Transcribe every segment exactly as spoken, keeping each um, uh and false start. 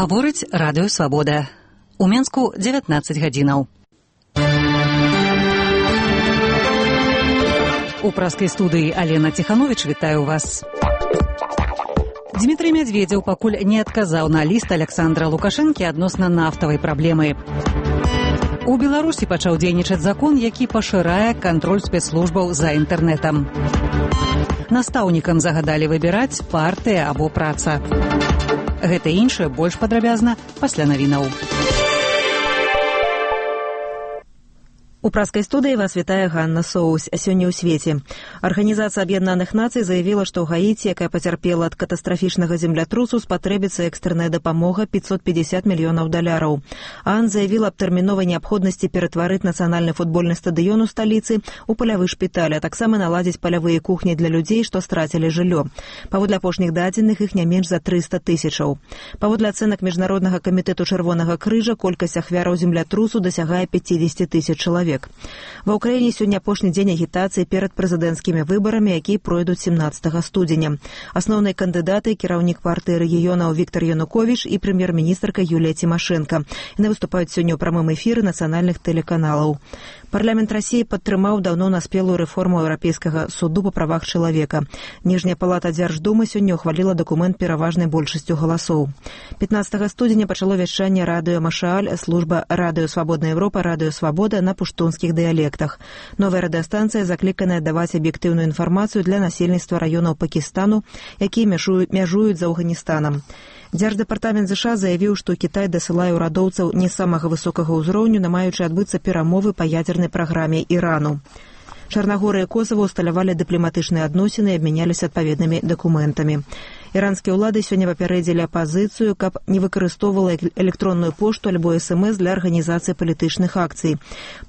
Гаворыць радыё Свабода. У Менску дзевятнаццаць гадзінаў. У праскай студыі Алена Ціхановіч вітаю вас. Дмітрый Мядзведзеў пакуль не адказаў на ліст Аляксандра Лукашэнкі адносна нафтавай праблемы. У Беларусі пачаў дзейнічаць закон, які пашырае кантроль спецслужбаў за інтэрнэтам. Настаўнікам загадалі выбіраць партыя або праца. Гэта і іншае больш падрабязна пасля навінаў. У праскай студыі вас вітае Ганна Соус. Сёння ў свеце. Арганізацыя Аб'яднаных Нацый заявіла, што ў Гаіці, якая пацярпела ад катастрафічнага землятрусу, спатрэбіцца экстрэнная дапамога пятьсот пятьдесят мільёнаў даляраў. ААН заявіла аб тэрміновай неабходнасці ператварыць нацыянальны футбольны стадыён у сталіцы ў палявы шпіталь, а таксама наладзіць палявыя кухні для людзей, што страцілі жыллё. Паводле апошніх дадзеных іх не менш за трыста тысячаў. Паводле ацэнак Міжнароднага камітэту Чырвонага крыжа колькасць ахвяраў землятрусу дасягае пяцьдзесят тысяч чалавек. Ва ўкраіне сёння апошні дзень агітацыі перад прэзідэнцкімі выбарамі, якія пройдуць семнаццатага студзеня. Асноўныя кандыдаты — кіраўнік партыі рэгіёнаў Віктар Януковіч і прэм'ер-міністрка Юлія Цімашэнка. Яны выступаюць сёння ў прамым эфіры нацыянальных тэлеканалаў. Парламент Расіі падтрымаў даўно наспелую рэформу Еўрапейскага суду па правах чалавека. Ніжняя палата Дзярждумы сёння ўхваліла дакумент пераважнай большасцю галасоў. пятнаццатага студзеня пачало вяшчанне радыё Машааль, служба радыё Свабодная Еўропа, радыё Свабода на пуштунскіх дыялектах. Новая радыёстанцыя закліканая даваць аб'ектыўную інфармацыю для насельніцтва раёнаў Пакістану, якія мяжуюць, мяжуюць з Афганістанам. Дзярждэпартамент ЗША заявіў, што Кітай дасылае ўрадоўцаў не самага высокага ўзроўню, намаючы адбыцца перамовы па ядзернай праграме Ірану. Чарнагорыя і Косава ўсталявалі дыпламатычныя адносіны і абмяняліся адпаведнымі дакументамі. Іранскія ўлады сёння папярэдзілі апазіцыю, каб не выкарыстоўвала электронную пошту альбо эс эм эс для арганізацыі палітычных акцый.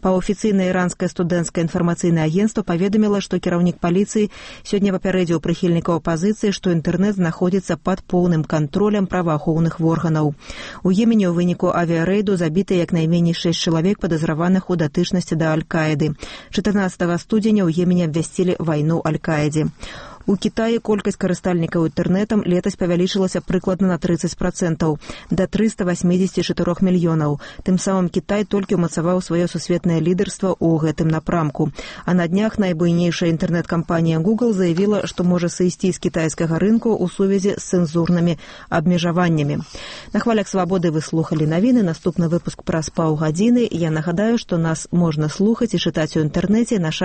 Паўафіцыйнае іранскае студэнцкае інфармацыйнае агенцтва паведаміла, што кіраўнік паліцыі сёння папярэдзіў прыхільнікаў апазіцыі, што інтэрнэт знаходзіцца пад поўным кантролем праваахоўных органаў. У Йемене ў выніку авіярэйду забіты як найменей шэсць чалавек, падазраваных у датычнасці да Аль-Каіды. чатырнаццатага студзеня ў Йемене абвясцілі вайну Аль-Каідзе. У Кітаі колькасць карыстальнікаў інтэрнэтам летась павялічылася прыкладна на трыццаць працэнтаў, да трыста восемьдесят четыре мільёнаў. Тым самым Кітай толькі ўмацаваў сваё сусветнае лідарства ў гэтым напрамку. А на днях найбуйнейшая інтэрнэт-кампанія Google заявіла, што можа сысці з кітайскага рынку ў сувязі з цэнзурнымі абмежаваннямі. На хвалях Свабоды вы слухалі навіны. Наступны выпуск праз паўгадзіны. Я нагадаю, што нас можна слухаць і чытаць у інтэрнэце. Наша